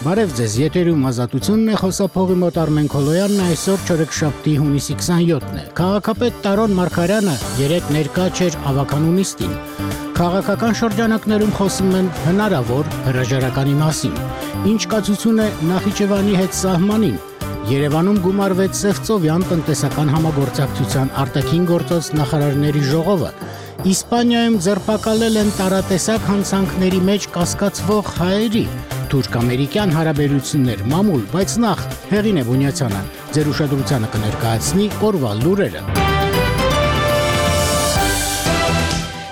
Բարև ձեզ, եթերում Ազատությունն է, խոսափողի մոտ Արմեն Քոլոյանն է, այսօր չորեքշաբթի հունիսի 27-ն է։ Քաղաքապետ Տարոն Մարգարյանը երեկ ներկա չէր ավականու նիստին։ Քաղաքական շրջանակներում խոսում են հնարավոր հրաժարականի մասին։ Ինչ կացություն է Նախիջևանի հետ սահմանին։ Երևանում գումարվեց Սևծովյան տնտեսական համագործակցության արտաքին գործոց նախարարների ժողովը։ Իսպանիայում ձերբակալել են տարատեսակ հանցանքների մեջ կասկածվող հայերի։ Թուրք-ամերիկյան հարաբերություններ մամուլ, բայց նախ Հեղինե Բունյացյանը ձեր ուշադրությանը կներկայացնի օրվա լուրերը։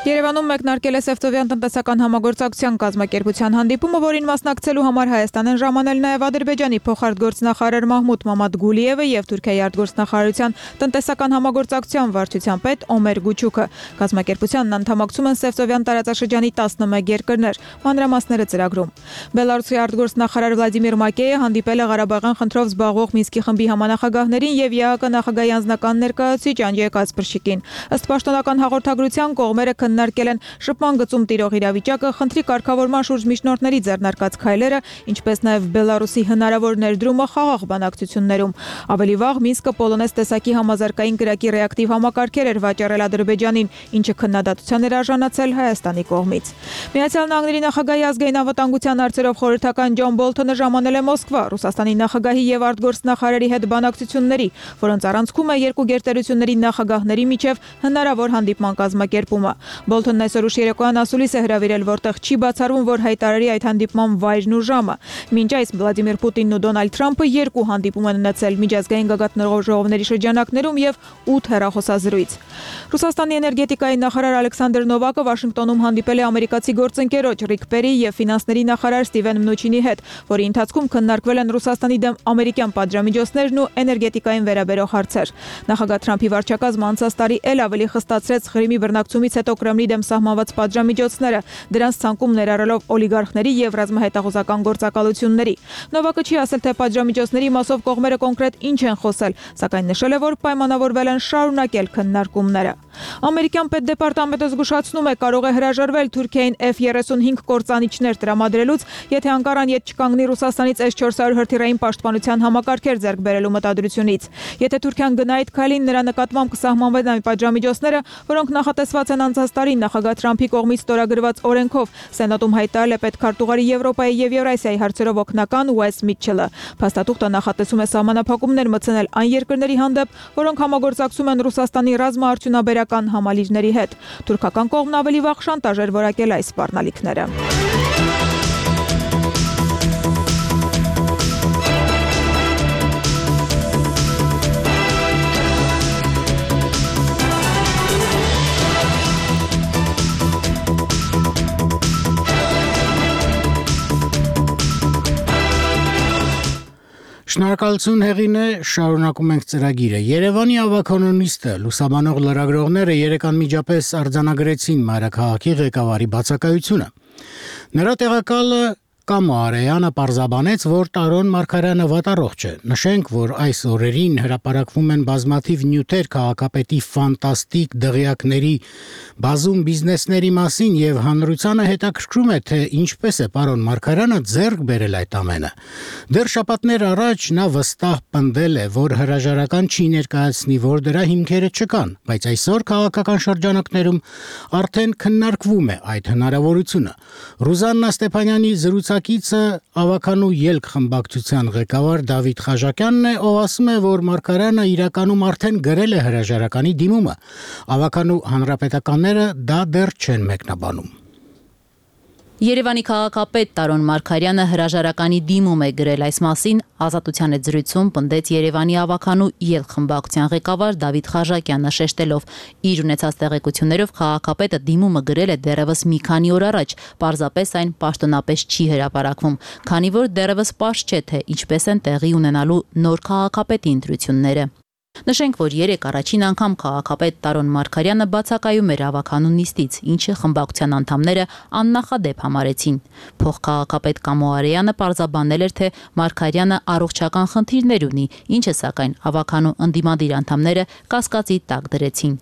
Երևանում մեկնարկել է Սևծովյան տնտեսական համագործակցության կազմակերպության հանդիպումը, որին մասնակցելու համար Հայաստան են ժամանել նաև Ադրբեջանի փոխարտգործնախարար Մահմուդ Մամադգուլիևը եւ Թուրքիայի արտգործնախարարության տնտեսական համագործակցության վարչության պետ Օմեր Գուչուկը։ Կազմակերպությանն անդամակցում են Սևծովյան տարածաշրջանի 11 երկրներ։ Մանրամասները ծրագրում։ Բելարուսի արտգործնախարար Վլադիմիր Մակեյը հանդիպել է Ղարաբաղյան խնդրով զբաղվող Մինսկի խմբի համանախագահներին եւ ԵԱԿ նախագահի անձնական ներկայացուցիչ Անջեյ Կասպրշիկին։ Ըստ պաշտոնական հաղորդագրության կողմերը քննարկել են շփման գծում տիրող իրավիճակը, խնդրի կարգավորման շուրջ միջնորդների ձեռնարկած քայլերը, ինչպես նաև Բելարուսի հնարավոր ներդրումը խաղաղ բանակցություններում։ Ավելի վաղ Մինսկը պոլոնեզ տեսակի համազարգային կրակի ռեակտիվ համակարգեր էր վաճառել Ադրբեջանին, ինչը քննադատության էր արժանացել Հայաստանի կողմից։ Միացյալ Նահանգների նախագահի ազգային անվտանգության հարցերով խորհրդական Ջոն Բոլթոնը ժամանել է Մոսկվա Ռուսաստանի նախագահի եւ արտգործնախարարի հետ բանակցությունների, որոնց առանցքում է երկու գերտերությունների նախագահների միջև հնարավոր հանդիպման կազմակերպումը։ Բոլթոնն այսօր ուշ երեկոյան ասուլիս է հրավիրել, որտեղ չի բացառվում, որ հայտարարի այդ հանդիպման վայրն ու ժամը։ Մինչ այս Վլադիմիր Պուտինն ու Դոնալդ Թրամփը երկու հանդիպում են ունեցել միջազգային գագաթնաժողովների շրջանակներում եւ 8 հեռախոսազրույց։ Ռուսաստանի էներգետիկայի նախարար Ալեքսանդր Նովակը Վաշինգտոնում հանդիպել է ամերիկացի գործընկերոջ Ռիկ Պերի եւ ֆինանսների նախարար Ստիվեն Մնուչինի հետ, որի ընթացքում քննարկվել են Ռուսաստանի դեմ ամերիկյան պատժամիջոցներն ու էներգետիկային վերաբերող հարցեր։ Նախագահ Թրամփի վարչակազմը անցած տարի ել ավելի խստացրեց Ղրիմի բռնակցումից հետո Կրեմլի դեմ սահմանված պատժամիջոցները, դրանց ցանկում ներառելով օլիգարխների եւ ռազմահետախուզական գործակալությունների։ Նովակը չի ասել, թե պատժամիջոցների մասով կողմերը կոնկրետ ինչ են խոսել, սակայն նշել է, որ պայմանավորվել են շարունակել քննարկումները։ Ամերիկյան պետդեպարտամենտը զգուշացնում է, կարող է հրաժարվել Թուրքիային F-35 կործանիչներ տրամադրելուց, եթե Անկարան ետ չկանգնի Ռուսաստանից S-400 հրթիռային պաշտպանության համակարգեր ձեռք բերելու մտադրությունից։ Եթե Թուրքիան գնա այդ քայլին, նրա նկատմամբ կսահմանվեն այն պատժամիջոցները, որոնք նախատեսված են անցած տարի նախագահ Թրամփի կողմից ստորագրված օրենքով։ Սենատում հայտարարել է պետքարտուղարի Եվրոպայի եւ Եվրասիայի հարցերով օգնական Ուես Միթչելը։ Փաստաթուղթը նախատեսում է սահմանափակումներ մտցնել այն երկրների հանդեպ, որոնք համագործակցում են Ռուսաստանի ռազմաարդյունաբերական համալիրների հետ։ Թուրքական կողմն ավելի վաղ շանտաժ էր որակել այս սպառնալիքները։ Շնորհակալություն Հեղինե, շարունակում ենք ծրագիրը։ Երևանի ավականու նիստը լուսաբանող լրագրողները երեկ անմիջապես արձանագրեցին մայրաքաղաքի ղեկավարի բացակայությունը։ Նրա տեղակալը Կամո Արեյանը պարզաբանեց, որ Տարոն Մարգարյանը վատառողջ է։ Նշենք, որ այս օրերին հրապարակվում են բազմաթիվ նյութեր քաղաքապետի ֆանտաստիկ դղյակների բազում բիզնեսների մասին եւ հանրությանը հետաքրքրում է, թե ինչպես է պարոն Մարգարյանը ձեռք բերել այդ ամենը։ Դեռ շաբաթներ առաջ նա վստահ պնդել է, որ հրաժարական չի ներկայացնի, որ դրա հիմքերը չկան, բայց այսօր քաղաքական շրջանակներում արդեն քննարկվում է այդ հնարավորությունը։ Ռուզաննա Ստեփանյանի զրուցակիցը ավականու ելք խմբակցության ղեկավար Դավիթ Խաժակյանն է, ով ասում է, որ Մարգարյանը իրականում արդեն գրել է հրաժարականի դիմումը։ Ավականու հանրապետականները դա դեռ չեն մեկնաբանում։ Երևանի քաղաքապետ Տարոն Մարգարյանը հրաժարականի դիմում է գրել այս մասին, Ազատության հետ զրույցում պնդեց Երևանի ավականու ելք խմբակցության ղեկավար Դավիթ Խաժակյանը, շեշտելով իր ունեցած տեղեկություններով քաղաքապետը դիմումը գրել է դեռևս մի քանի օր առաջ, պարզապես այն պաշտոնապես չի հրապարակվում, քանի որ դեռևս պարզ չէ, թե ինչպես են տեղի ունենալու նոր քաղաքապետի ընտրությունները։ Նշենք, որ երեկ առաջին անգամ քաղաքապետ Տարոն Մարգարյանը բացակայում էր ավականու նիստից, ինչը խմբակցության անդամները աննախադեպ համարեցին։ Փոխքաղաքապետ Կամո Արեյանը պարզաբանել էր, թե Մարգարյանը առողջական խնդիրներ ունի, ինչը սակայն ավականու ընդդիմադիր անդամները կասկածի տակ դրեցին։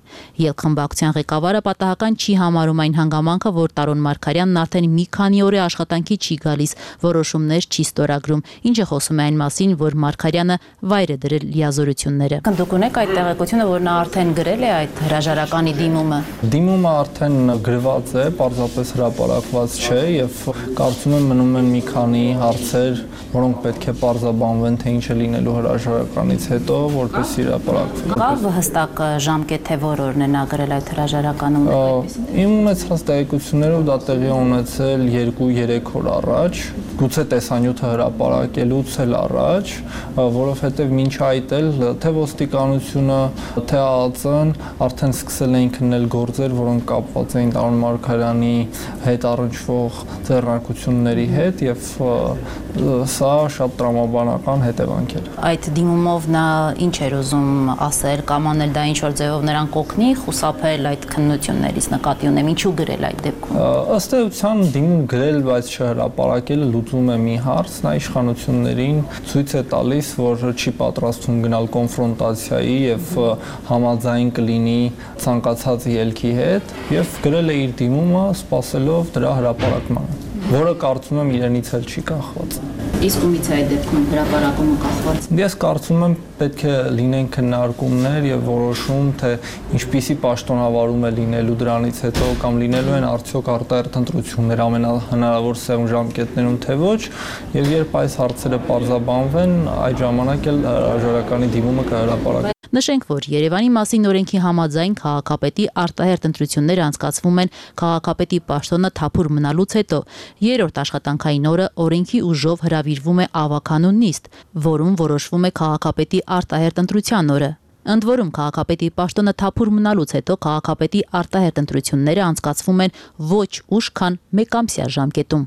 Ելքխմբակցության ղեկավարը պատահական չի համարում այն հանգամանքը, որ Տարոն Մարգարյանն արդեն մի քանի օր է աշխատանքի չի գալիս, որոշումներ չի ստորագրում, ինչը խոսում է այն մասին, որ Մարգարյանը վայր է դրել լիազորությունները։ Դուք ունեք այդ տեղեկությունը, որ նա արդեն գրել է այդ հրաժարականի դիմումը։ Դիմումը արդեն գրված է, պարզապես հրապարակված չէ եւ կարծում եմ մնում են մի քանի հարցեր, որոնք պետք է պարզաբանվեն, թե ինչ է լինելու հրաժարականից հետո, որպեսզի հրապարակվի։ Կա հստակ ժամկետ, թե որ օրն է նա գրել այդ հրաժարականը։ Իմ ունեցած տեղեկություններով դա տեղի ունեցել 2-3 օր առաջ, գուցե տեսանյութը հրապարակելուց էլ առաջ, որովհետեւ մինչ այդ էլ թե ոստիկանությունը, թե ԱԱԾ-ն արդեն սկսել էին քննել գործեր, որոնք կապված էին Տարոն Մարգարյանի հետ առնչվող ձեռնարկությունների հետ եւ սա շատ տրամաբանական հետևանք էր։ Այդ դիմումով նա ինչ էր ուզում ասել, կամ անել դա ինչ որ ձևով նրան կօգնի խուսափել այդ քննություններից, նկատի ունեմ, ինչու գրել այդ դեպքում։ Ըստ էության դիմում գրել, բայց չհրապարակելը լուծում է մի հարց, նա իշխանություններին ցույց է տալիս, որ չի պատրաստվում գնալ կոնֆրոնտացիայի եւ համաձայն կլինի ցանկացած ելքի հետ եւ գրել է իր դիմումը սպասելով դրա հրապարակմանը, որը կարծում եմ իրենից էլ չի կախված։ Իսկ ումից է այդ դեպքում հրապարակումը կախված։ Ես կարծում եմ պետք է լինեն քննարկումներ եւ որոշում, թե ինչպիսի պաշտոնավարում է լինելու դրանից հետո կամ լինելու են արդյոք արտահերթ ընտրություններ ամենահնարավոր սեղմ ժամկետներում թե ոչ, եւ երբ այս հարցերը պարզաբանվեն, այդ ժամանակ էլ հրաժարականի դիմումը կհրապարակվի։ Նշենք, որ Երևանի մասին օրենքի համաձայն քաղաքապետի արտահերթ ընտրությունները անցկացվում են քաղաքապետի պաշտոնը թափուր մնալուց հետո։ Երրորդ աշխատանքային օրը օրենքի ուժով հրավիրվում է ավականու նիստ, որում որոշվում է քաղաքապետի արտահերթ ընտրության օրը։ Ընդ որում քաղաքապետի պաշտոնը թափուր մնալուց հետո քաղաքապետի արտահերթ ընտրությունները անցկացվում են ոչ ուշ, քան մեկամսյա ժամկետում։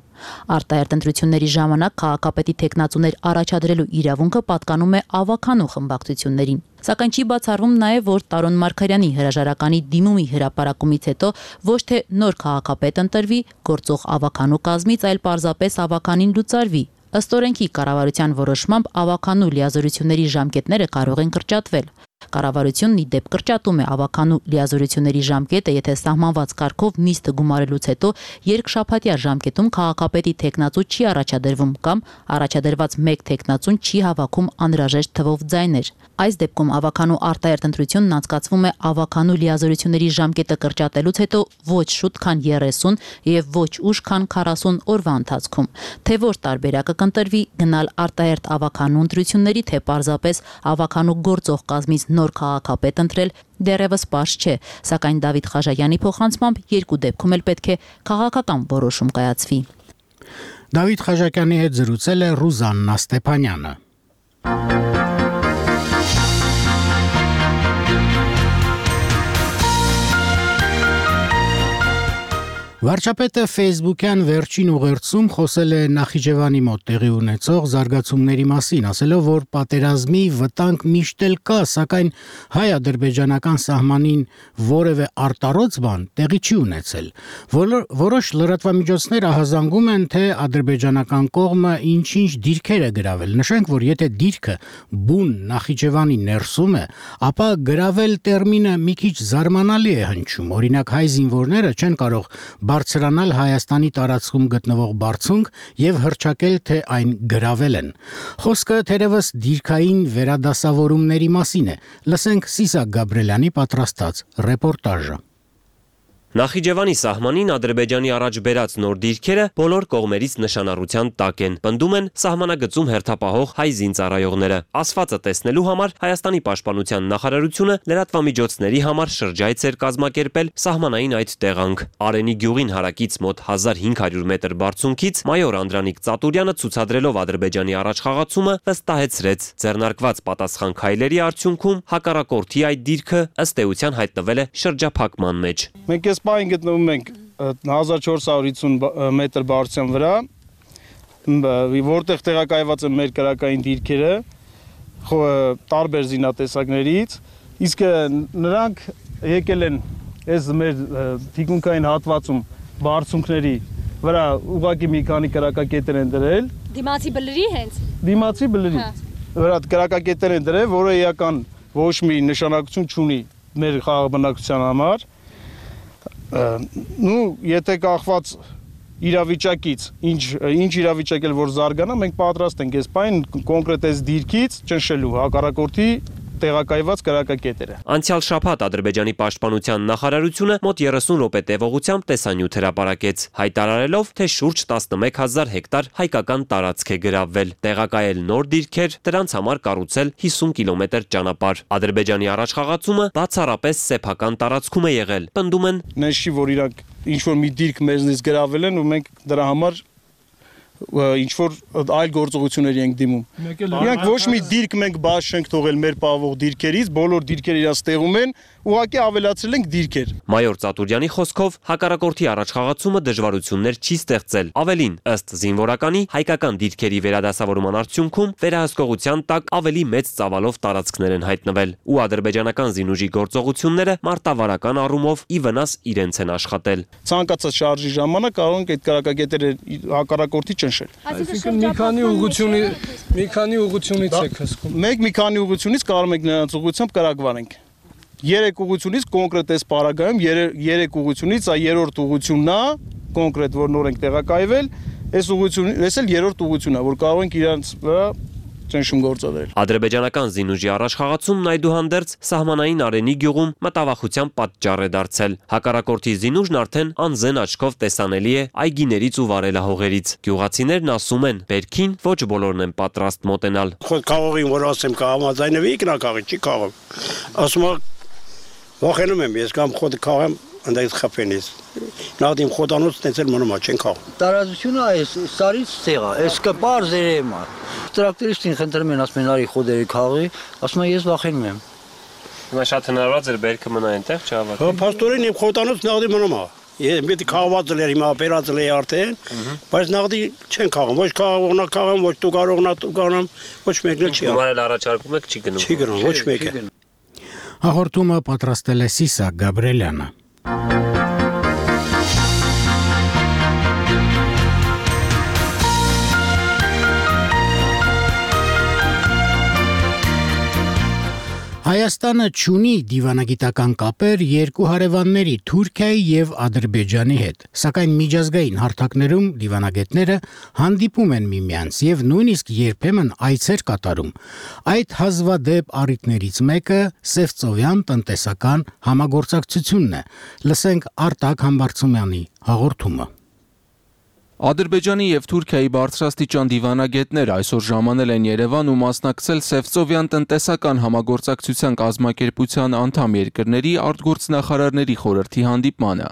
Արտահերթ ընտրությունների ժամանակ քաղաքապետի թեկնածուներ առաջադրելու իրավունքը պատկանում է ավականու խմբակցություններին։ Սակայն չի բացառվում նաև, որ Տարոն Մարգարյանի հրաժարականի դիմումի հրապարակումից հետո ոչ թե նոր քաղաքապետ ընտրվի գործող ավականու կազմից, այլ պարզապես ավականին լուծարվի։ Ըստ օրենքի կառավարության որոշմամբ ավականու լիազորությունների ժամկետները կարող են կրճատվել։ Կառավարությունն ի դեպ կրճատում է ավականու լիազորությունների ժամկետը, եթե սահմանված կարգով նիստը գումարելուց հետո երկշաբաթյա ժամկետում քաղաքապետի թեկնածու չի առաջադրվում կամ առաջադրված մեկ թեկնածուն չի հավաքում անհրաժեշտ թվով ձայներ։ Այս դեպքում ավականու արտահերթ ընտրությունն անցկացվում է ավականու լիազորությունների ժամկետը կրճատելուց հետո ոչ շուտ, քան 30 եւ ոչ ուշ, քան 40 օրվա ընթացքում։ Թե որ տարբերակը կընտրվի՝ գնալ արտահերթ ավականու ընտրությունների, թե պարզապես ավականու գործող կազմից նոր քաղաքապետ ընտրել, դեռևս պարզ չէ, սակայն Դավիթ Խաժայանի փոխանցմամբ երկու դեպքում էլ պետք է քաղաքական որոշում կայացվի։ Դավիթ Խաժակյանի հետ զրուցել է Ռուզաննա Ստեփանյանը։ Վարչապետը Facebook-յան վերջին ուղերձում խոսել է Նախիջևանի մոտ տեղի ունեցող զարգացումների մասին, ասելով, որ պատերազմի վտանգ միշտ էլ կա, սակայն հայ-ադրբեջանական սահմանին որևէ արտառոց բան տեղի չի ունեցել։ Որոշ լրատվամիջոցներ ահազանգում են, թե ադրբեջանական կողմը ինչ-ինչ դիրքեր է գրավել։ Նշենք, որ եթե դիրքը բուն Նախիջևանի ներսում է, ապա գրավել տերմինը մի քիչ զարմանալի է հնչում։ Օրինակ, հայ զինվորները չեն կարող բարձրանալ Հայաստանի տարածքում գտնվող բարձունք եւ հռչակել, թե այն գրավել են։ Խոսքը թերևս դիրքային վերադասավորումների մասին է։ Լսենք Սիսակ Գաբրելյանի պատրաստած ռեպորտաժը։ Նախիջևանի սահմանին Ադրբեջանի առաջ բերած նոր դիրքերը բոլոր կողմերից նշանառության տակ են։ Պնդում են սահմանագծում հերթապահող հայ զինծառայողները։ Ասվածը տեսնելու համար Հայաստանի պաշտպանության նախարարությունը լրատվամիջոցների համար շրջայց էր կազմակերպել սահմանային այդ տեղանք։ Արենի գյուղին հարակից մոտ 1500 մետր բարձունքից մայոր Անդրանիկ Ծատուրյանը ցուցադրելով Ադրբեջանի առաջխաղացումը վստահեցրեց, ձեռնարկված պատասխան քայլերի արդյունքում հակառակորդի այդ դիրքը ըստ էության հայտնվել է շրջափակման մեջ։ Մենք Պայն գտնվում ենք 1450 մետր բարձրության վրա, որտեղ տեղակայված են մեր կրակային դիրքերը, տարբեր զինատեսակներից, իսկ նրանք եկել են այս մեր թիկունքային հատվածում բարձունքների վրա ուղղակի մի քանի կրակակետեր են դրել։ Դիմացի բլրի հենց։ Դիմացի բլրի վրա կրակակետեր են դրել, որը էական ոչ մի նշանակություն չունի մեր խաղաբնակության համար։ Եթե կախված իրավիճակից, ինչ իրավիճակ էլ որ զարգանա, մենք պատրաստ ենք այս պայն կոնկրետ այս դիրքից ճնշելու հակառակորդի տեղակայված կրակակետերը։ Անցյալ շաբաթ Ադրբեջանի պաշտպանության նախարարությունը մոտ 30 րոպե տևողությամբ տեսանյութ հրապարակեց, հայտարարելով, թե շուրջ 11000 հեկտար հայկական տարածք է գրավվել, տեղակայել նոր դիրքեր, դրանց համար կառուցել 50 կիլոմետր ճանապարհ։ Ադրբեջանի առաջխաղացումը բացառապես սեփական տարածքում է եղել, պնդում են։ Նշի, որ իրանք ինչ-որ մի դիրք մեզնից գրավել են ու մենք դրա համար ինչ-որ այլ գործողությունների ենք դիմում։ Իրանք ոչ մի դիրք մենք բաց չենք թողել մեր պահվող դիրքերից, բոլոր դիրքերը իրաց տեղում են, ուղղակի ավելացրել ենք դիրքեր։ Մայոր Ծատուրյանի խոսքով հակառակորդի առաջխաղացումը դժվարություններ չի ստեղծել։ Ավելին, ըստ զինվորականի, հայկական դիրքերի վերադասավորման արդյունքում վերահսկողության տակ ավելի մեծ ծավալով տարածքներ են հայտնվել, ու ադրբեջանական զինուժի գործողությունները մարտավարական առումով ի վնաս իրենց են աշխատել։ Ցանկացած շարժի ժամանակ կարող ենք այդ կրակակետերը հակառակորդի ճնշել։ Այսինքն մի քանի ուղղությունից եք հսկում։ Մենք մի քանի ուղղությունից կարող ենք նրանց ուղղությամբ կրակվանենք։ 3 ուղղությունից կոնկրետ այս պարագայում 3 ուղղությունից երրորդ ուղղությունն է կոնկրետ որ նոր ենք տեղակայվել, այս էլ երրորդ ուղղությունն է, որ կարող ենք իրանց վրա ճնշում գործադրել։ Ադրբեջանական զինուժի առաջխաղացումն այդուհանդերձ սահմանային Արենի գյուղում մտավախության պատճառ է դարձել։ Հակառակորդի զինուժն արդեն անզեն աչքով տեսանելի է այգիներից ու վարելահողերից։ Գյուղացիներն ասում են, բերքին ոչ բոլորն են պատրաստ մոտենալ։ Խոտ քաղողին որ ասեմ կհամաձայնվի կնակաղի չի քաղում։ Ասում վախենում եմ ես կամ խոտ քաղեմ ընդդեմ խփենից։ Նադիմ խոտանոց տեցել մնում է չեն քաղ։ Տարածությունը այս սարից ցեղա, այս կպար զերեմա։ Տրակտորիստին խնդրում են ասում են արի խոդերի քաղի, ասում եմ ես վախենում եմ։ Հիմա շատ հնարավոր է բերքը մնա այնտեղ չհավաք։ Հա, փաստորեն իմ խոտանոց նադի մնում է։ Ես մի քաղված էր հիմա օպերացել է արդեն, բայց նադի չեն քաղում, ոչ քաղողնա քաղում, ոչ դու կարողնա դու կանամ, ոչ մեկն էլ չի։ Հիմա էլ առաջարկում եք չի գնում։ Չի գնում, ոչ մեկը։ Հաղորդումը պատրաստել է Սիսակ Գաբրելյանը։ Հայաստանը չունի դիվանագիտական կապեր երկու հարևանների Թուրքիայի եւ Ադրբեջանի հետ, սակայն միջազգային հարթակներում դիվանագետները հանդիպում են միմյանց եւ նույնիսկ երբեմն այցեր կատարում։ Այդ հազվադեպ առիթներից մեկը Սևծովյան տնտեսական համագործակցությունն է։ Լսենք Արտակ Համբարձումյանի հաղորդումը։ Ադրբեջանի եւ Թուրքիայի բարձրաստիճան դիվանագետներ այսօր ժամանել են Երևան ու մասնակցել Սևծովյան տնտեսական համագործակցության կազմակերպության անդամ երկրների արտգործնախարարների խորհրդի հանդիպմանը։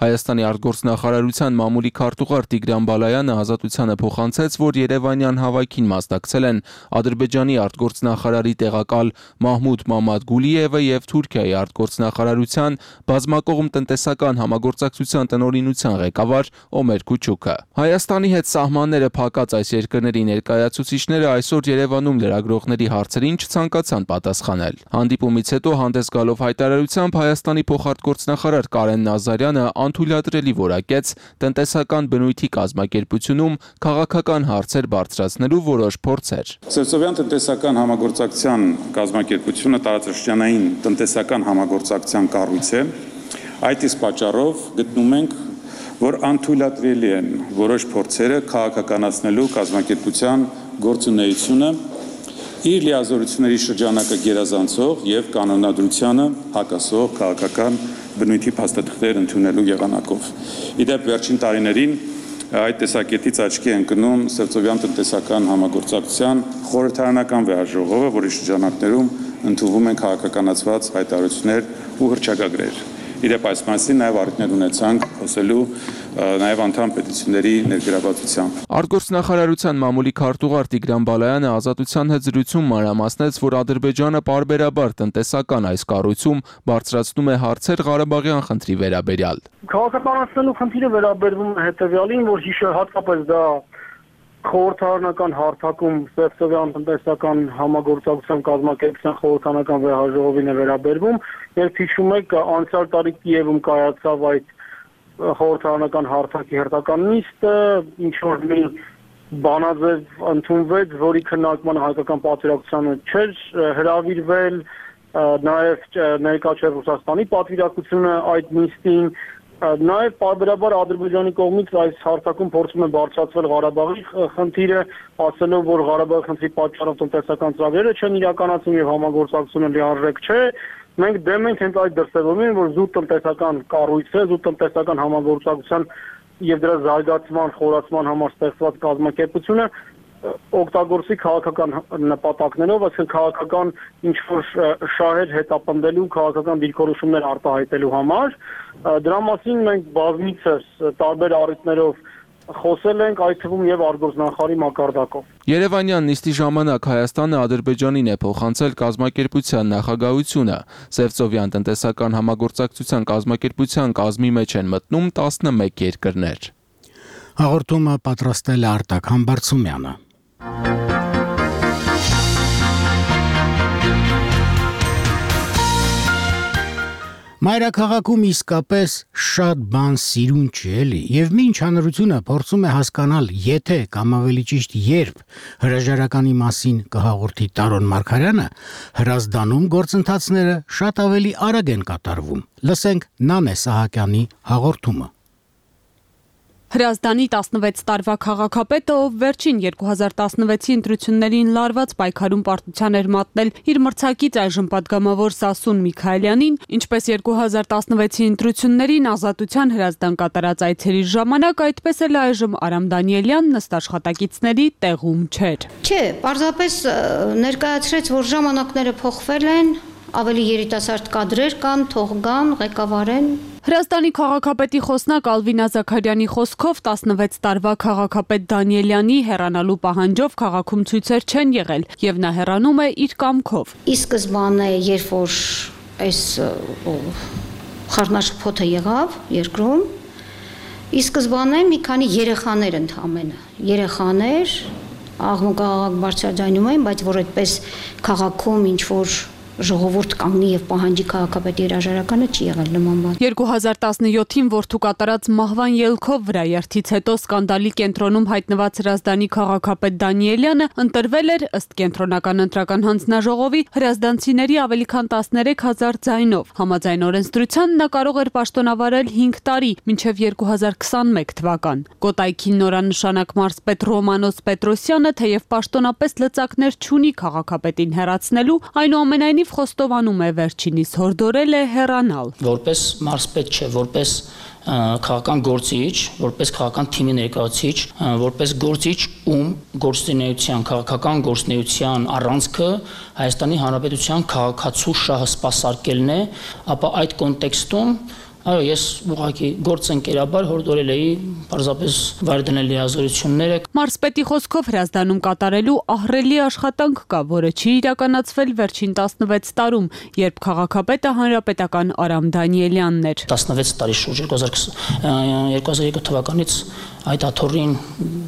Հայաստանի արտգործնախարարության մամուլի քարտուղար Տիգրան Բալայանը ազատությանը փոխանցեց, որ Երևանյան հավաքին մասնակցել են Ադրբեջանի արտգործնախարարի տեղակալ Մահմուդ Մամադ Գուլիևը եւ Թուրքիայի արտգործնախարարության բազմակողմ տնտեսական համագործակցության տնօրինության ղեկավար Օմեր Քուչուկը։ Հայաստանի հետ սահմանները փակած այս երկրների ներկայացուցիչները այսօր Երևանում լրագրողների հարցերին չցանկացան պատասխանել։ Հանդիպումից հետո հանդես գալով հայտարարությամբ Հայաստանի փոխարտգործնախարար Կարեն Նազարյանը անթույլատրելի որակեց տնտեսական բնույթի կազմակերպությունում քաղաքական հարցեր բարձրացնելու որոշ փորձեր։ Սևծովյան տնտեսական համագործակցության կազմակերպությունը տարածաշրջանային տնտեսական համագործակցության կառույց է։ Այդ իսկ պատճառով գտնում ենք, որ անթույլատրելի են որոշ փորձերը քաղաքականացնելու կազմակերպության գործունեությունը իր լիազորությունների շրջանակը գերազանցող եւ կանոնադրությանը հակասող քաղաքական բնույթի փաստաթղթեր ընդունելու եղանակով։ Իդեպ վերջին տարիներին այդ տեսակետից աչքի է ընկնում Սևծովյան տնտեսական համագործակցության խորհրդարանական վեհաժողովը, որի շրջանակներում ընդունվում են քաղաքականացված հայտարարություններ ու հռչակագրեր։ Իդեպ այս մասին նաև առիթներ ունեցանք խոսելու նաև անդամ պետությունների ներգրավվածությամբ։ Արտգործնախարարության մամուլի քարտուղար Տիգրան Բալայանը ազատության հետ զրույցում մանրամասնեց, որ Ադրբեջանը պարբերաբար տնտեսական այս կառույցում բարձրացնում է հարցեր Ղարաբաղյան խնդրի վերաբերյալ։ Քաղաքականացնելու խնդիրը վերաբերվում է հետևյալին, որ հատկապես դա խորհրդարանական հարթակում Սևծովյան տնտեսական համագործակցության կազմակերպության խորհրդարանական վեհաժողովին է վերաբերվում, երբ հիշում եք, անցյալ տարի Կիևում կայացավ այդ խորհրդարանական հարթակի հերթական նիստը, ինչ որ մի բանաձև ընդունվեց, որի քննարկմանը հայկական պատվիրակությանը չէր հրավիրվել, նաև ներկա չէր Ռուսաստանի պատվիրակությունը այդ նիստին, նաև պարբերաբար Ադրբեջանի կողմից այս հարթակում փորձում է բարձրացվել Ղարաբաղի խնդիրը, ասելով, որ Ղարաբաղի խնդրի պատճառով տնտեսական ծրագրերը չեն իրականացվում եւ համագործակցությունը լիարժեք չէ։ Մենք դեմ ենք հենց այդ դրսևորումին, որ զուտ տնտեսական կառույց է, զուտ տնտեսական համագործակցության եւ դրա զարգացման, խորացման համար ստեղծված կազմակերպությունը օգտագործի քաղաքական նպատակներով, այսինքն քաղաքական ինչ-որ շահեր հետապնդելու, քաղաքական դիրքորոշումներ արտահայտելու համար։ Դրա մասին մենք բազմիցս տարբեր առիթներով խոսել ենք, այդ թվում եւ արտգործնախարարի մակարդակով։ Երևանյան նիստի ժամանակ Հայաստանը Ադրբեջանին է փոխանցել կազմակերպության նախագահությունը։ Սևծովյան տնտեսական համագործակցության կազմակերպության կազմի մեջ են մտնում 11 երկրներ։ Հաղորդումը պատրաստել է Արտակ Համբարձումյանը։ Մայրաքաղաքում իսկապես շատ բան սիրուն չի էլի, եւ մինչ հանրությունը փորձում է հասկանալ, եթե կամ ավելի ճիշտ երբ հրաժարականի մասին կհաղորդի Տարոն Մարգարյանը, Հրազդանում գործընթացները շատ ավելի արագ են կատարվում։ Լսենք Նանե Սահակյանի հաղորդումը։ Հրազդանի 16 տարվա քաղաքապետը, ով վերջին 2016-ի ընտրություններին լարված պայքարում պարտության էր մատնել իր մրցակից այժմ պատգամավոր Սասուն Միքայելյանին, ինչպես 2016-ի ընտրություններին Ազատության Հրազդան կատարած այցերի ժամանակ, այդպես էլ այժմ Արամ Դանիելյանն ըստ աշխատակիցների տեղում չէր։ Չէ, պարզապես ներկայացրեց, որ ժամանակները փոխվել են, ավելի երիտասարդ կադրեր կան, թող գան, ղեկավարեն։ Հրազդանի քաղաքապետի խոսնակ Ալվինա Զաքարյանի խոսքով 16 տարվա քաղաքապետ Դանիելյանի հեռանալու պահանջով քաղաքում ցույցեր չեն եղել եւ նա հեռանում է իր կամքով։ Ի սկզբանե, երբ որ այս խառնաշփոթը եղավ երկրում, ի սկզբանե մի քանի երեխաներ ընդհանրապես, երեխաներ աղմուկ բարձրաձայնում էին, բայց որ այդպես քաղաքում ինչ որ ժողովուրդ կանգնի եւ պահանջի քաղաքապետի հրաժարականը չի եղել նման բան։ 2017-ին որդու կատարած մահվան ելքով վրայերթից հետո սկանդալի կենտրոնում հայտնված Հրազդանի քաղաքապետ Դանիելյանը ընտրվել էր ըստ կենտրոնական ընտրական հանձնաժողովի հրազդանցիների ավելի քան 13,000 ձայնով։ Համաձայն օրենսդրության նա կարող էր պաշտոնավարել 5 տարի, մինչև 2021 թվական։ Կոտայքին նորանշանակ մարզպետ Ռոմանոս Պետրոսյանը թեև պաշտոնապես լծակներ չունի քաղաքապետին հեռացնելու, այնուամենայնիվ խոստովանում է վերջինիս հորդորել է հեռանալ։ Որպես մարզպետ չէ, որպես քաղաքական գործիչ, որպես քաղաքական թիմի ներկայացուցիչ, որպես գործիչ, ում գործունեության, քաղաքական գործունեության առանցքը Հայաստանի Հանրապետության քաղաքացու շահը սպասարկելն է, ապա այդ կոնտեքստում այո, ես ուղղակի գործընկերաբար հորդորել էի պարզապես վայր դնել լիազորությունները։ Մարզպետի խոսքով Հրազդանում կատարելու ահռելի աշխատանք կա, որը չի իրականացվել վերջին 16 տարում, երբ քաղաքապետը հանրապետական Արամ Դանիելյանն էր։ 16 տարի շուրջ 2002 թվականից այդ աթոռին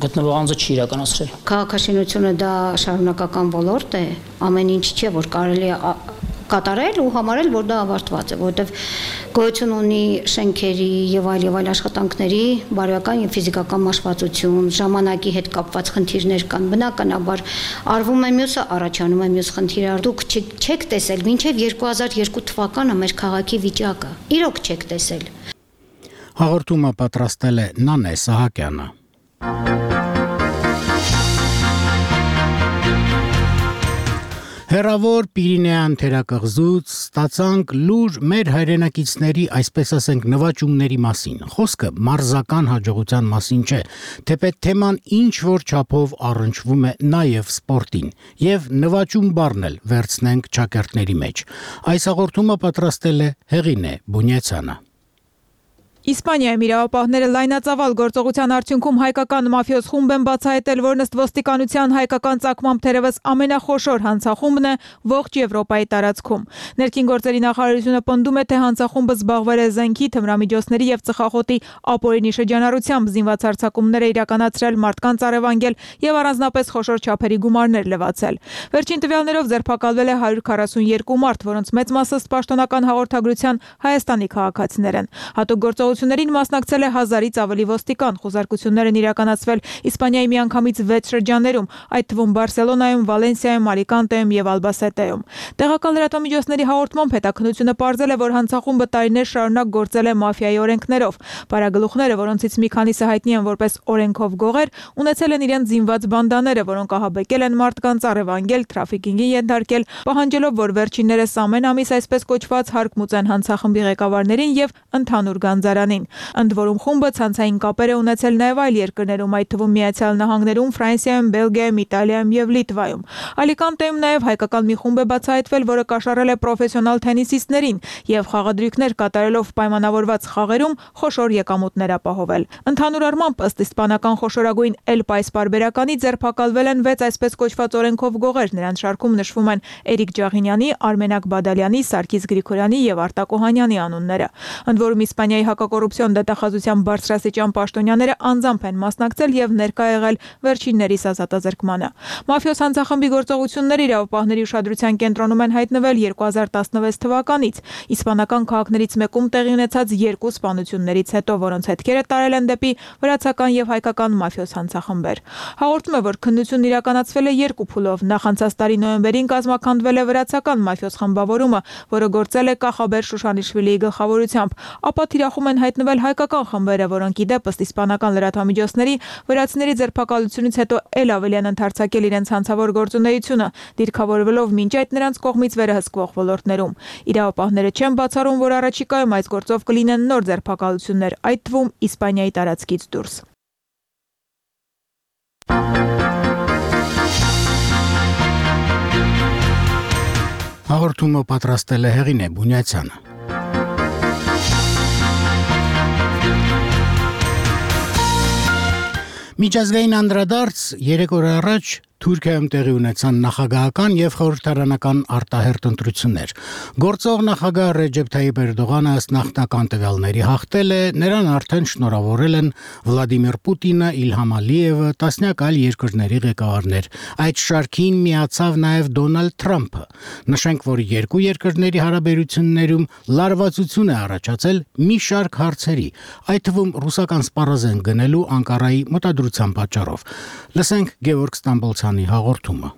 գտնվող անձը չի իրականացրել։ Քաղաքաշինությունը դա շարունակական ոլորտ է, ամեն ինչ չէ, որ կարելի է կատարել ու համարել, որ դա ավարտված է, որովհետև գոյություն ունի շենքերի եւ այլ աշխատանքների բարոյական եւ ֆիզիկական մաշվածություն, ժամանակի հետ կապված խնդիրներ կան, բնականաբար արվում է մյուսը, առաջանում է մյուս խնդիրը։ Դուք չեք տեսել մինչեւ 2002 թվականը մեր քաղաքի վիճակը։ Իրոք չեք տեսել։ Հաղորդումը պատրաստել է Նանե Սահակյանը։ Հեռավոր Պիրինեան թերակղզուց ստացանք լուր մեր հայրենակիցների, այսպես ասենք, նվաճումների մասին։ Խոսքը մարզական հաջողության մասին չէ, թեպետ թեման ինչ որ չափով առնչվում է նաև սպորտին, եւ նվաճում բառն էլ վերցնենք ճակերտների մեջ։ Այս հաղորդումը պատրաստել է Հեղինե Բունյացյանը։ Իսպանիայում իրավապահները լայնածավալ գործողության արդյունքում հայկական մաֆիոզ խումբ են բացահայտել, որն ըստ ոստիկանության հայկական ծագմամբ թերևս ամենախոշոր հանցախումբն է ողջ Եվրոպայի տարածքում։ Ներքին գործերի նախարարությունը պնդում է, թե հանցախումբը զբաղվել է զենքի, թմրամիջոցների եւ ծխախոտի ապօրինի շրջանառությամբ, զինված հարձակումներ է իրականացրել, մարդկանց առևանգել եւ առանձնապես խոշոր չափերի գումարներ լվացել։ Վերջին տվյալներով ձերբակալվել է 142 մարդ, որոնց մեծ մասը ըստ պաշտոնական հաղորդագրության Հայաստանի քաղաքացիներ են։ Հատուկ գործողություններին մասնակցել է 1000-ից ավելի ոստիկան, խոզարկություններ են իրականացվել Իսպանիայի միանգամից 6 շրջաններում, այդ թվում Բարսելոնայում, Վալենսիայում, Ալիկանտեում եւ Ալբասետեում։ Տեղական լրատվամիջոցների հաղորդմամբ հետաքննությունը պարզել է, որ հանցախումբը տարիներ շարունակ գործել է մաֆիայի օրենքներով։ Պարագլուխները, որոնցից մի քանիսը հայտնի են որպես օրենքով գողեր, ունեցել են իրենց զինված բանդաները, որոնք ահաբեկել են մարդկանց, առևանգել, թրաֆիկինգին ենթարկել, պահանջելով, որ վերջիններս ամեն ամիս այսպես կոչված հարկ մուծեն հանցախմբի ղեկավարներին եւ ընդհանուր գանձարանին։ Ընդ որում խումբը ցանցային կապեր է ունեցել նաև այլ երկրներում, այդ թվում Միացյալ Նահանգներում, Ֆրանսիայում, Բելգիայում, Իտալիայում եւ Լիտվայում։ Ալիկանտեում նաև հայկական մի խումբ է բացահայտվել, որը կաշառել է պրոֆեսիոնալ թենիսիստներին եւ խաղադրույքներ կատարելով պայմանավորված խաղերում խոշոր եկամուտներ ապահովել։ Ընդհանուր առմամբ, ըստ իսպանական խոշորագույն El País պարբերականի, ձերբակալվել են 6 այսպես կոչված օրենքով գողեր, նրանց շարքում նշվում են Էրիկ Ջաղինյանի, Արմենակ Բադալյանի, Սարգիս Գրիգորյանի եւ Արտակ Օհանյանի անունները։ Ընդ որում Իսպանիայի հակակոռուպցիոն դատախազության բարձրաստիճան պաշտոնյաները անձամբ են մասնակցել եւ ներկա եղել վերջիններիս ազատազրկմանը։ Մաֆիոզ հանցախմբի գործողությունները իրավապահների ուշադրության կենտրոնում են հայտնվել 2016 թվականից իսպանական քաղաքներից մեկում տեղի ունեցած 2 սպանություններից հետո, որոնց հետքերը տարել են դեպի վրացական եւ հայկական մաֆիոզ հանցախմբեր։ Հաղորդում է, որ քննությունն իրականացվել է 2 փուլով։ Նախ անցած տարի նոյեմբերին կազմաքանդվել է վրացական մաֆիոզ խմբավորումը, որը գործել է Կախաբեր Շուշանիշվիլիի գլխավորությամբ, ապա թիրախում են հայտնվել հայկական խմբերը, որոնք ի դեպ ըստ իսպանական լրատվամիջոցների վրացիների ձերբակալությունից հետո ել ավելի են ընդարձակել իրենց հանցավոր գործունեությունը, դիրքավորվելով մինչ այդ նրանց կողմից վերահսկվող ոլորտներում։ Իրավապահները չեն բացառում, որ առաջիկայում այս գործով կլինեն նոր ձերբակալություններ, այդ թվում Իսպանիայի տարածքից դուրս։ Հաղորդումը պատրաստել է Հեղինե Բունյացյանը։ Միջազգային անդրադարձ 3 օր առաջ Թուրքիայում տեղի ունեցան նախագահական եւ խորհրդարանական արտահերթ ընտրություններ։ Գործող նախագահ Ռեջեփ Թայիփ Էրդողանը ըստ նախնական տվյալների հաղթել է, նրան արդեն շնորհավորել են Վլադիմիր Պուտինը, Իլհամ Ալիևը, տասնյակ այլ երկրների ղեկավարներ։ Այդ շարքին միացավ նաեւ Դոնալդ Թրամփը։ Նշենք, որ երկու երկրների հարաբերություններում լարվածություն է առաջացել մի շարք հարցերի, այդ թվում ռուսական սպառազեն գնելու Անկարայի մտադրության պատճառով։ Լսենք Գևորգ Ստամբոլցյանի հաղորդումը։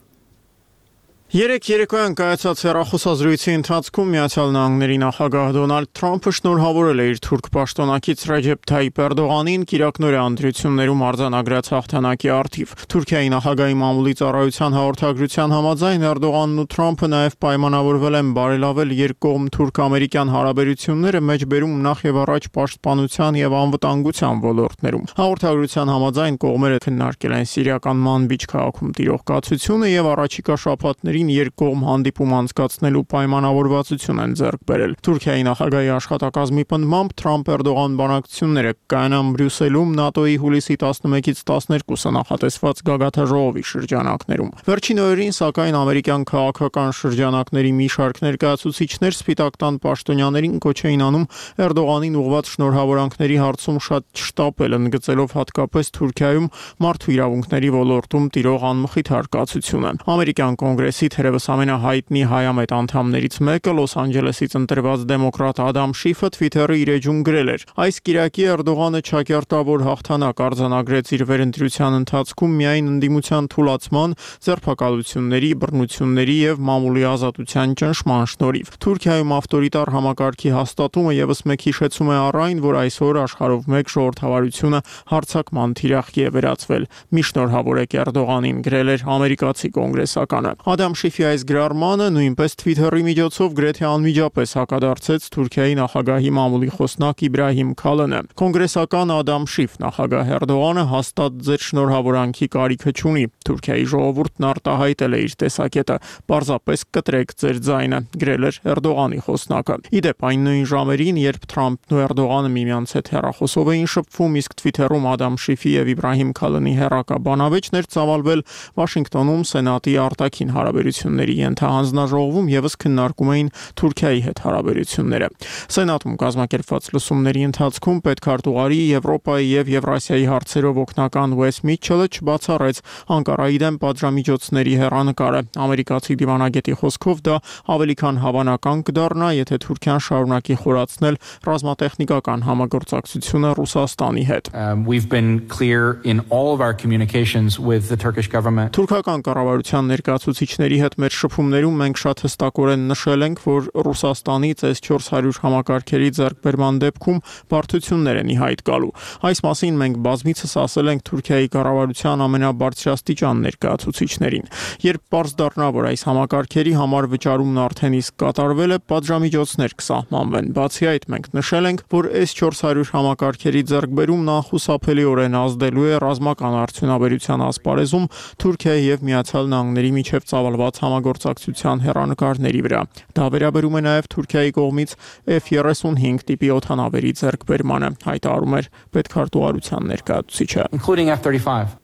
Երեք երեկոյան կայացած հեռախոսազրույցի ընթացքում Միացյալ Նահանգների նախագահ Դոնալդ Թրամփը շնորհավորել է իր թուրք պաշտոնակից Ռեջեփ Թայիփ Էրդողանին կիրակնօրյա ընտրություններում արձանագրած հաղթանակի առթիվ։ Թուրքիայի նախագահի մամուլի ծառայության հաղորդագրության համաձայն Էրդողանն ու Թրամփը նաև պայմանավորվել են բարելավել երկկողմ թուրք-ամերիկյան հարաբերությունները մեջբերում նախ եւ առաջ պաշտպանության եւ անվտանգության ոլորտներում։ Հաղորդագրության համաձայն կողմերը քննարկել են սիրիական Մանբիջ քաղաքում տիրող կացությունը եւ առաջիկա շաբաթների երկկողմ հանդիպում անցկացնելու պայմանավորվածություն են ձեռք բերել։ Թուրքիայի նախագահի աշխատակազմի պնդմամբ Թրամփ-Էրդողան բանակցությունները կայանան Բրյուսելում ՆԱՏՕ-ի հուլիսի 11-ից 12-ը նախատեսված գագաթաժողովի շրջանակներում։ Վերջին օրերին, սակայն, ամերիկյան քաղաքական շրջանակների մի շարք ներկայացուցիչներ Սպիտակ տան պաշտոնյաներին կոչ էին անում Էրդողանին ուղղված շնորհավորանքների հարցում շատ չշտապել, ընդգծելով հատկապես Թուրքիայում մարդու իրավունքների ոլորտում տիրող անմխիթ հարկացությունը։ Ամերիկյան կոնգրեսի թերևս ամենահայտնի հայամետ անդամներից մեկը Լոս Անջելեսից ընտրված դեմոկրատ Ադամ Շիֆը Twitter-ի իր էջում գրել էր. «Այս կիրակի Էրդողանը չակերտավոր հաղթանակ արձանագրեց իր վերընտրության ընթացքում միայն ընդդիմության թուլացման, ձերբակալությունների, բռնությունների եւ մամուլի ազատության ճնշման շնորհիվ»։ Թուրքիայում ավտորիտար համակարգի հաստատումը եւս մեկ հիշեցում է առ այն, որ այսօր աշխարհով մեկ ժողովրդավարությունը հարձակման թիրախի է վերածվել։ Մի շնորհավորեք Էրդողանին, գրել էր ամերիկացի կոնգրեսականը։ Ադամ Ադամ Շիֆի այս գրառմանը նույնպես Twitter-ի միջոցով գրեթե անմիջապես հակադարձեց Թուրքիայի նախագահի մամուլի խոսնակ Իբրահիմ Քալանը։ Կոնգրեսական Ադամ Շիֆ նախագահ Էրդողանը հաստատ ձեր շնորհավորանքի կարիքը չունի։ Թուրքիայի ժողովուրդն արտահայտել է իր տեսակետը, պարզապես կտրեք ձեր ձայնը, գրել էր Էրդողանի խոսնակը։ Իդեպ այն նույն ժամերին, երբ Թրամփն ու Էրդողանը միմյանց հետ հեռախոսով էին շփվում, իսկ Twitter-ում Ադամ Շիֆի եւ Իբրահիմ Քալանի հեռակա բանավեճն էր ծավալվել, Վաշինգտոնում Սենատի արտաքին հարաբերությունների ենթահանձնաժողովում եւս քննարկում էին Թուրքիայի հետ հարաբերությունները։ Սենատում կազմակերպված լսումների ընթացքում պետքարտուղարի Եվրոպայի եւ Եվրասիայի հարցերով օգնական Ուես Միչելը չբացառեց Անկարայի դեմ պատժամիջոցների հեռանկարը։ Ամերիկացի դիվանագետի խոսքով դա ավելի քան հավանական կդառնա, եթե Թուրքիան շարունակի խորացնել ռազմատեխնիկական համագործակցությունը Ռուսաստանի հետ։ We've been clear in all of our communications with the Turkish government. Թուրքական կառավարության ներկայացուցիչների հետ մեր շփումներում մենք շատ հստակորեն նշել ենք, որ Ռուսաստանից S-400 համակարգերի ձեռքբերման դեպքում բարդություններ են ի հայտ գալու։ Այս մասին մենք բազմիցս ասել ենք Թուրքիայի կառավարության ամենաբարձրաստիճան ներկայացուցիչներին։ Երբ պարզ դառնա, որ այս համակարգերի համար վճարումն արդեն իսկ կատարվել է, պատժամիջոցներ կսահմանվեն։ Բացի այդ, մենք նշել ենք, որ S-400 համակարգերի ձեռքբերումն անխուսափելիորեն ազդելու է ռազմական արդյունաբերության ասպարեզում Թուրքիայի եւ Միացյալ Նահանգների միջև ծավալված համագործակցության հեռանկարների վրա։ Դա վերաբերում է նաեւ Թուրքիայի կողմից F-35 տիպի օդանավերի ձեռքբերմանը, հայտարարում էր պետքարտուղարության ներկայացուցիչը։ Including F-35.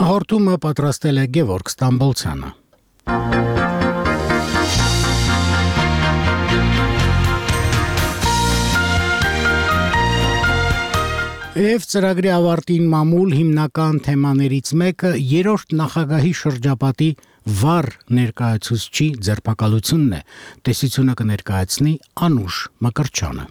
Հաղորդումը պատրաստել է Գևորգ Ստամբոլցյանը։ Եվ ծրագրի ավարտին մամուլ հիմնական թեմաներից մեկը երրորդ նախագահի շրջապատի վառ ներկայացուցչի ձերբակալությունն է։ Տեսությունը կներկայացնի Անուշ Մկրչյանը։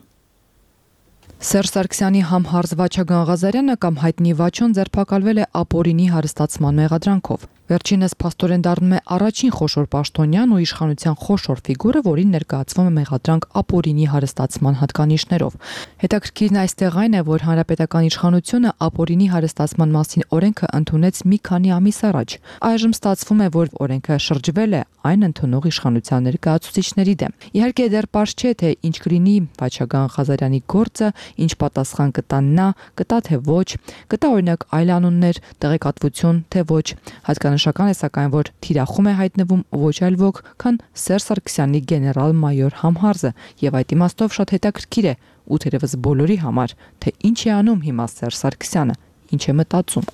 Սերժ Սարգսյանի համհարզ Վաչագան Ղազարյանը կամ հայտնի Վաչոն ձերբակալվել է ապօրինի հարստացման մեղադրանքով։ Վերջինս փաստորեն դառնում է առաջին խոշոր պաշտոնյան ու իշխանության խոշոր ֆիգուրը, որին ներկայացվում է մեղադրանք ապօրինի հարստացման հատկանիշներով։ Հետաքրքիրն այստեղ այն է, որ հանրապետական իշխանությունը ապօրինի հարստացման մասին օրենքը ընդունեց մի քանի ամիս առաջ։ Այժմ ստացվում է, որ օրենքը շրջվել է այն ընդունող իշխանության ներկայացուցիչների դեմ։ Իհարկե դեռ պարզ չէ, թե ինչ կլինի Վաչագան Ղազարյանի գործը, ինչ պատասխան կտա նա, կտա թե ոչ, կտա օրինակ այլ անուններ, տեղեկատվություն թե ոչ։ Հատկանշական է սակայն, որ թիրախում է հայտնվում ոչ այլ ոք, քան Սերժ Սարգսյանի գեներալ-մայոր համհարզը, եւ այդ իմաստով շատ հետաքրքիր է ու թերևս բոլորի համար, թե ինչ է անում հիմա Սերժ Սարգսյանը, ինչ է մտածում։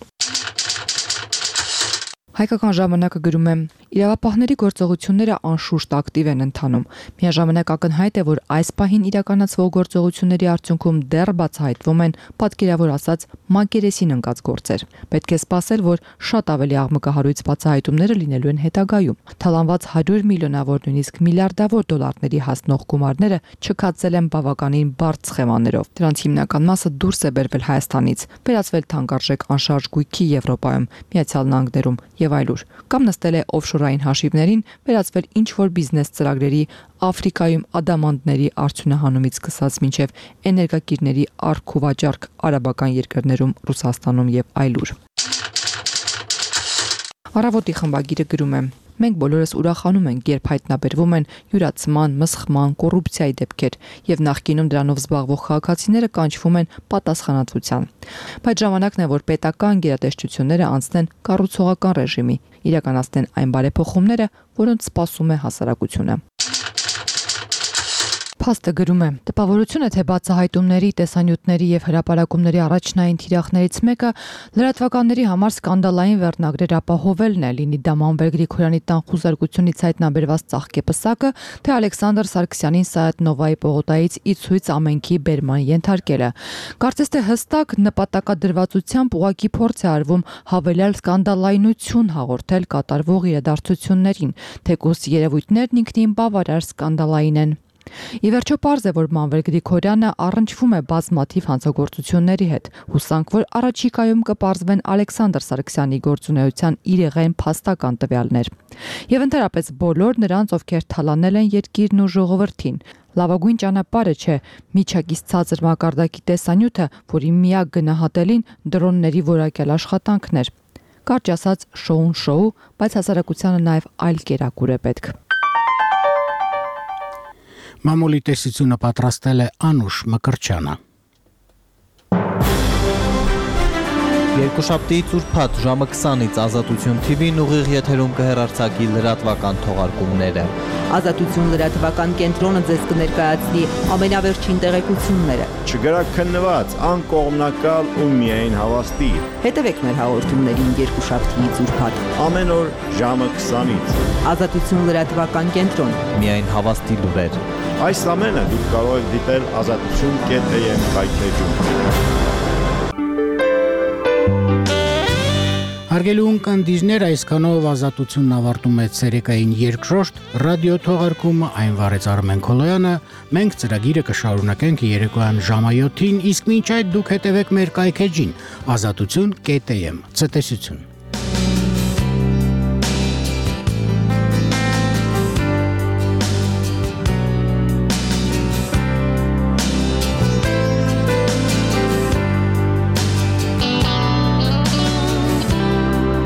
Հայկական ժամանակը գրում է. իրավապահների գործողությունները անշուշտ ակտիվ են ընթանում։ Միաժամանակ ակնհայտ է, որ այս պահին իրականացվող գործողությունների արդյունքում դեռ բացահայտվում են պատկերավոր ասած մակերեսին ընկած գործեր։ Պետք է սպասել, որ շատ ավելի աղմկահարույց բացահայտումները լինելու են հետագայում։ Թալանված 100 միլիոնավոր նույնիսկ միլիարդավոր դոլարների հասնող գումարները չքացել են բավականին բարդ սխեմաներով։ Դրանց հիմնական մասը դուրս է բերվել Հայաստանից, վերածվել թանկարժեք անշարժ գույքի Եվրոպայում, Միացյալ Նահանգներում եւ այլուր, կամ նստել է օֆշորային հաշիվներին, վերածվել ինչ-որ բիզնես ծրագրերի, Աֆրիկայում ադամանդների արդյունահանումից սկսած մինչև էներգակիրների առք ու վաճառք արաբական երկրներում, Ռուսաստանում եւ այլուր։ Առավոտի խմբագիրը գրում է. Մենք բոլորս ուրախանում ենք, երբ հայտնաբերվում են յուրացման, մսխման, կոռուպցիայի դեպքեր եւ նախկինում դրանով զբաղվող քաղաքացիները կանչվում են պատասխանատվության։ Բայց ժամանակն է, որ պետական գերատեսչությունները անցնեն կառուցողական ռեժիմի, իրականացնեն այն բարեփոխումները, որոնց սպասում է հասարակությունը։ Փաստը գրում է. տպավորություն է, թե բացահայտումների, տեսանյութերի եւ հրապարակումների առաջնային թիրախներից մեկը լրատվականների համար սկանդալային վերնագրեր ապահովելն է, լինի դա Մանվել Գրիգորյանի տան խուզարկությունից հայտնաբերված ծաղկեպսակը, թե Ալեքսանդր Սարգսյանին Սայաթ Նովայի պողոտայից ի ցույց ամենքի բերման ենթարկելը։ Կարծես թե հստակ նպատակադրվածությամբ ուղղակի փորձ է արվում հավելյալ սկանդալայնություն հաղորդել կատարվող իրադարձություններին, թեկուզ երևույթներն ինքնին բավարար սկանդալային են։ Ի վերջո պարզ է, որ Մանվել Գրիգորյանը առնչվում է բազմաթիվ հանցագործությունների հետ, հուսանք, որ առաջիկայում կպարզվեն Ալեքսանդր Սարգսյանի գործունեության իրեղեն փաստական տվյալներ։ Եվ ընդհանրապես բոլոր նրանց, ովքեր թալանել են երկիրն ու ժողովրդին։ Լավագույն ճանապարհը չէ միջակից ցածր մակարդակի տեսանյութը, որի միակ գնահատելին դրոնների որակյալ աշխատանքն էր։ Կարճ ասած շոուն շոու, բայց հասարակությանը նաև այլ կերակուր է պետք։ Մամուլի տեսությունը պատրաստել է Անուշ Մկրչյանը։ Երկուշաբթիից ուրբաթ ժամը 20-ից Ազատություն TV-ն ուղիղ եթերում կհեռարձակի լրատվական թողարկումները։ Ազատություն լրատվական կենտրոնը ձեզ կներկայացնի ամենավերջին տեղեկությունները։ Չգրակ քննված, անկողմնակալ ու միայն հավաստի։ Հետևեք մեր հաղորդումներին երկուշաբթիից ուրբաթ։ Ամեն օր ժամը 20-ից։ Ազատություն լրատվական կենտրոն։ Միայն հավաստի լուրեր։ Այս ամենը դուք կարող եք դիտել azatutun.am կայքեջում։ Հարգելի ունկնդիրներ, այսքանով Ազատությունն ավարտում է ցերեկային երկրորդ ռադիո թողարկումը, այն վարեց Արմեն Քոլոյանը, մենք ծրագիրը կշարունակենք երեկոյան ժամը 7-ին, իսկ մինչ այդ դուք հետևեք մեր կայքեջին azatutun.am։ Ցտեսություն։